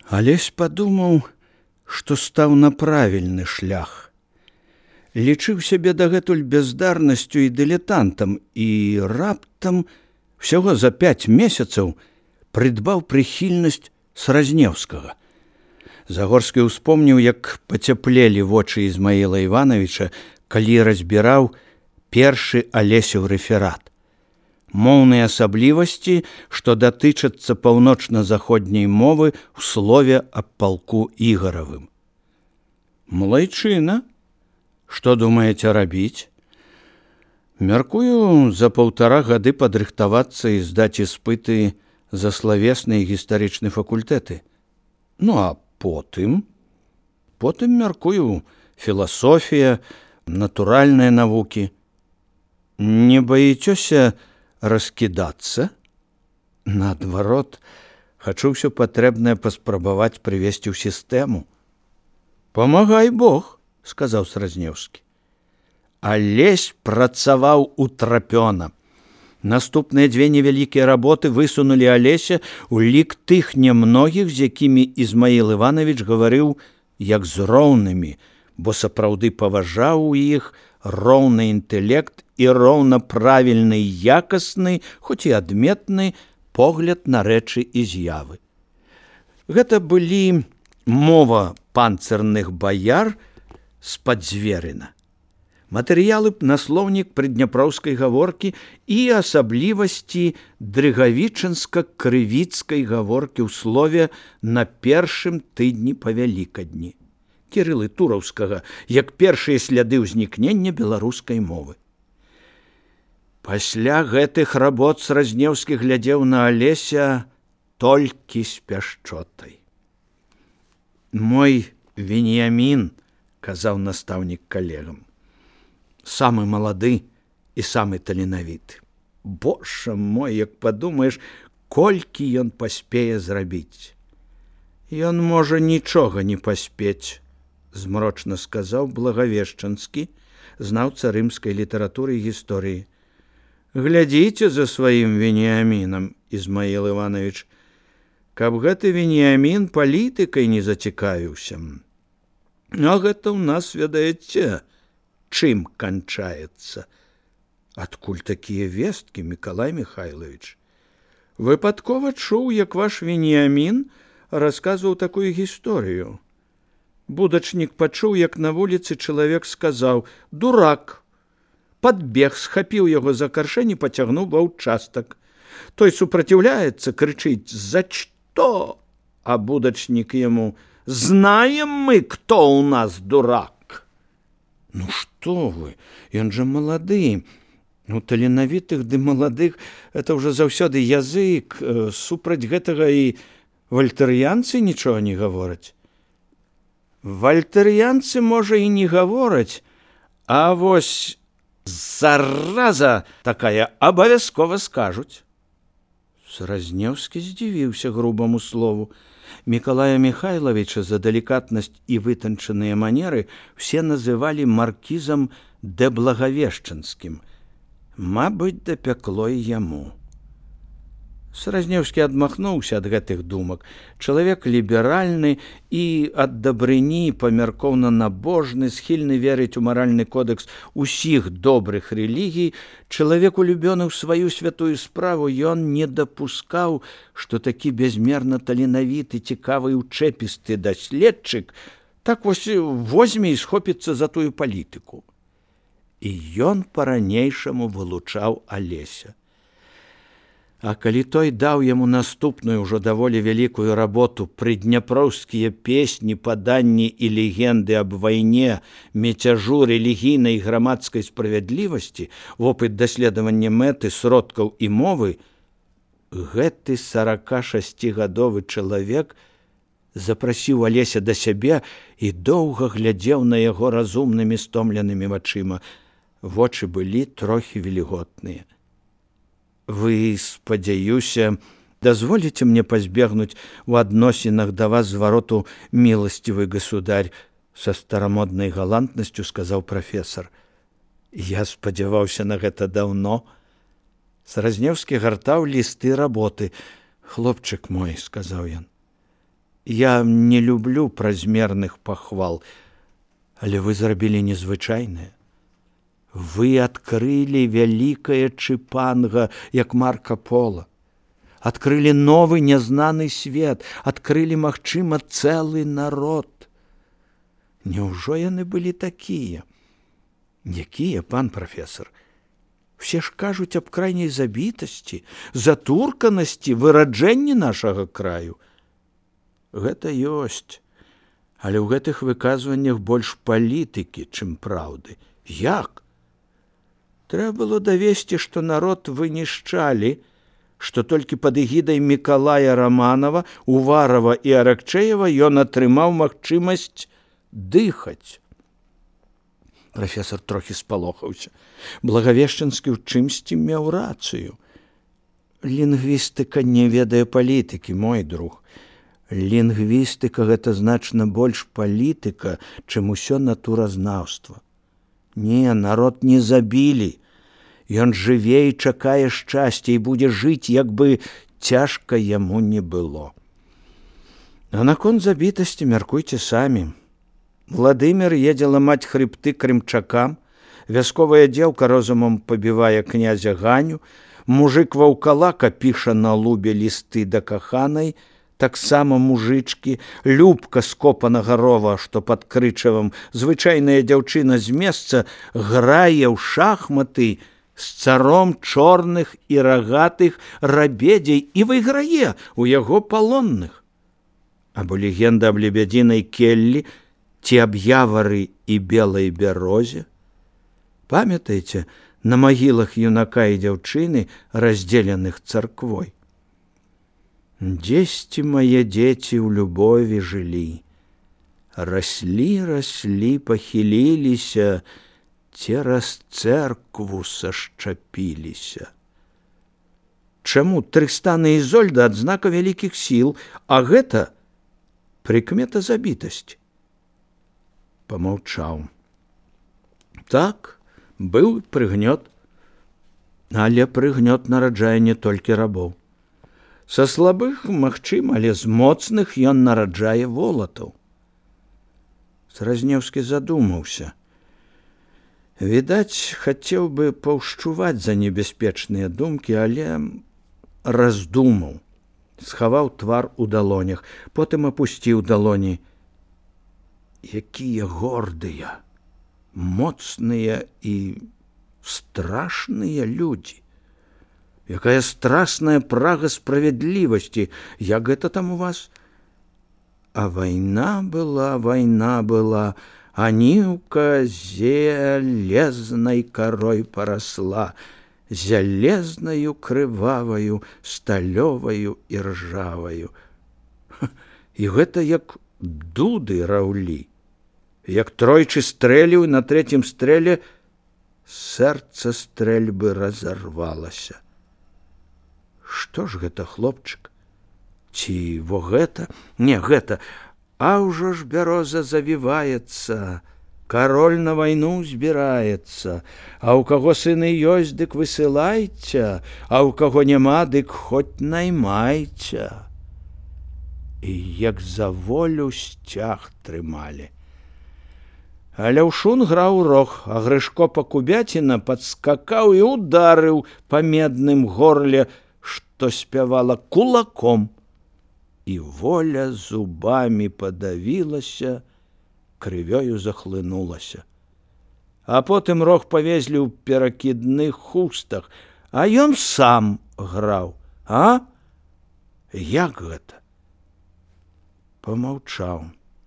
Алесь падумаў, што стаў на правільны шлях. Лічыў сябе дагэтуль бяздарнасцю і дылетантам і раптам всяго за 5 месяцаў прыдбаў прыхільнасць Сразнеўскага. Загорскі ўспомніў, як пацяплелі вочы Ізмаіла Івановича, калі разбіраў першы Алесеў рэферат. Моўныя асаблівасці, што датычацца паўночна-заходняй мовы ў слове аб палку Ігаравым. Малайчына, што думаеце рабіць? Мяркую за 1,5 гады падрыхтавацца і здаць іспыты за славесны і гістарычны факультэты. Ну, а потым мяркую філасофія, натуральныя навукі. Не баіцёся раскідацца? Наадварот, хачу ўсё патрэбнае паспрабаваць прывесці ў сістэму. Памагай Бог, сказаў Сразнеўскі. Алесь працаваў утрапёна. Наступныя 2 невялікія работы высунулі Алеся ў лік тых нямногіх, з якімі Ізмаіл Іванович гаварыў як з роўнымі, бо сапраўды паважаў у іх роўны інтэлект і роўна правільны і якасны, хоць і адметны погляд на рэчы і з'явы. Гэта былі мова панцырных баяр з-пад Зверына, матэрыялы на слоўнік прыдняпроўскай гаворкі і асаблівасці дрыгавічынска-крывіцкай гаворкі ў слове на першым тыдні па Вялікадні, Кірылы Тураўскага, як першыя сляды ўзнікнення беларускай мовы. Пасля гэтых работ Сразнеўскі глядзеў на Алеся толькі з пяшчотай. Мой Веніямін, казаў настаўнік калегам, самы малады і самы таленавіты. Божа мой, як падумаеш, колькі ён паспее зрабіць. Ён можа нічога не паспець, змрочна сказаў Благавешчанскі, знаўца рымскай літаратуры і гісторыі. Глядзіце за сваім Веніямінам, Ізмаіл Іванович, каб гэты Веніямін палітыкай не зацікавіўся. А гэта ў нас, ведаеце, чым канчаецца? Адкуль такія весткі, Мікалай Михайлович? Выпадкова чуў, як ваш Веніямін расказваў такую гісторыю. Будачнік пачуў, як на вуліцы чалавек сказаў: «Дурак!» Падбег, схапіў яго за каршэнь і пацягнуў ва ўчастак. Той супраціўляецца, крычыць: «За што?» А будачнік яму: «Знаем мы, кто у нас дурак!» Ну што вы, ён жа малады. У таленавітых ды маладых это ўжо заўсёды язык. Супраць гэтага і вальтэрыянцы нічога не гавораць. Вальтэрыянцы, можа, і не гавораць, а вось зараза такая абавязкова скажуць. Сразнеўскі здзівіўся грубаму слову. Мікалая Михайловича за далікатнасць і вытанчаныя манеры все называлі маркізам дэ Благавешчанскім. Мабыць, дапякло і яму. Сразнеўскі адмахнуўся ад гэтых думак. Чалавек ліберальны і ад дабрыні памяркоўна набожны, схільны верыць у маральны кодэкс усіх добрых рэлігій, чалавек улюбёны ў сваю святую справу, ён не дапускаў, што такі бязмерна таленавіты, цікавы і ўчэпісты даследчык так вось возьме і схопіцца за тую палітыку. І ён па-ранейшаму вылучаў Алеся. А калі той даў яму наступную ўжо даволі вялікую работу «Прыдняпроўскія песні, паданні і легенды аб вайне, мецяжу, рэлігійнай і грамадскай справядлівасці, вопыт даследавання мэты, сродкаў і мовы», гэты 46гадовы чалавек запрасіў Алеся да сябе і доўга глядзеў на яго разумнымі стомленымі вачыма. Вочы былі трохі вільготныя. «Вы, спадзяюся, дазволіце мне пазбегнуць у адносінах да вас звароту, міласцівы государь», са старамоднай галантнасцю сказаў прафесар. «Я спадзяваўся на гэта даўно». Сразнеўскі гартаў лісты работы. «Хлопчык мой», — сказаў ён, Я не люблю празмерных пахвал, але вы зрабілі незвычайнае. Вы адкрылі вялікае чыпанга, як Марка Пола. Адкрылі новы нязнаны свет, адкрылі, магчыма, цэлы народ. Няўжо яны былі такія? Якія, пан прафесор? Все ж кажуць аб крайняй забітасці, затурканасці, выраджэнні нашага краю. Гэта ёсць, але ў гэтых выказваннях больш палітыкі, чым праўды. Як? Трэба было давесці, што народ вынішчалі, што толькі пад эгідай Мікалая Раманова, Уварова і Аракчэева ён атрымаў магчымасць дыхаць. Прафесор трохі спалохаўся. Благавешчанскі ў чымсьці меў рацыю. Лінгвістыка не ведае палітыкі, мой друг. Лінгвістыка – гэта значна больш палітыка, чым усё натуразнаўства. Не, народ не забілі. Ён жыве і чакае шчасця і будзе жыць, як бы цяжка яму не было. А наконт забітасці мяркуйце самі. Владымир едзе ламаць хрыбты крымчакам, вясковая дзеўка розумам пабівае князя Ганю, мужык ваўкалака піша на лубе лісты да каханай, таксама мужычкі, Любка скопанага рова, што пад Крычавам, звычайная дзяўчына з месца, грае ў шахматы з царом чорных і рагатых рабедзей і выйграе у яго палонных. Або легенда аб лебядзінай келлі ці аб явары і белай бярозе. Памятаеце, на магілах юнака і дзяўчыны, раздзеленых царквой? Дзесьці мае дзеці ў любові жылі, раслі, пахіліліся, цераз цэркву сашчапіліся. Чаму Трыстан і Ізольда адзнака вялікіх сіл, а гэта прыкмета забітасці? Памаўчаў. Так, быў прыгнёт, але прыгнёт нараджае не толькі рабоў. Са слабых, магчыма, але з моцных ён нараджае волатаў. Сразнеўскі задумаўся. Відаць, хацеў бы паўшчуваць за небяспечныя думкі, але раздумаў. Схаваў твар у далонях, потым апусціў далоні. Якія гордыя, моцныя і страшныя людзі. Якая страшная прага справядлівасці. Як гэта там у вас? А вайна была, а нівка зелезнай карой парасла, зялезнаю крываваю, сталёваю і ржаваю. І гэта як дуды раўлі. Як тройчы стрэліў, на трэцім стрэле сэрца стрэльбы разарвалася. Што ж гэта, хлопчык? Ці во гэта? Не, гэта. А ўжо ж бяроза завіваецца, кароль на вайну збіраецца, а ў каго сыны ёсць, дык высылайце, а ў каго няма, дык хоць наймайце. І як за волю сцяг трымалі. А Ляўшун граў рог, а Грышко Пакубяціна падскакаў і ударыў па медным горле, што спявала кулаком. І воля зубамі падавілася, крывёю захлынулася. А потым рог павезлі ў перакідных хустах, а ён сам граў. А? Як гэта? Помаўчаў.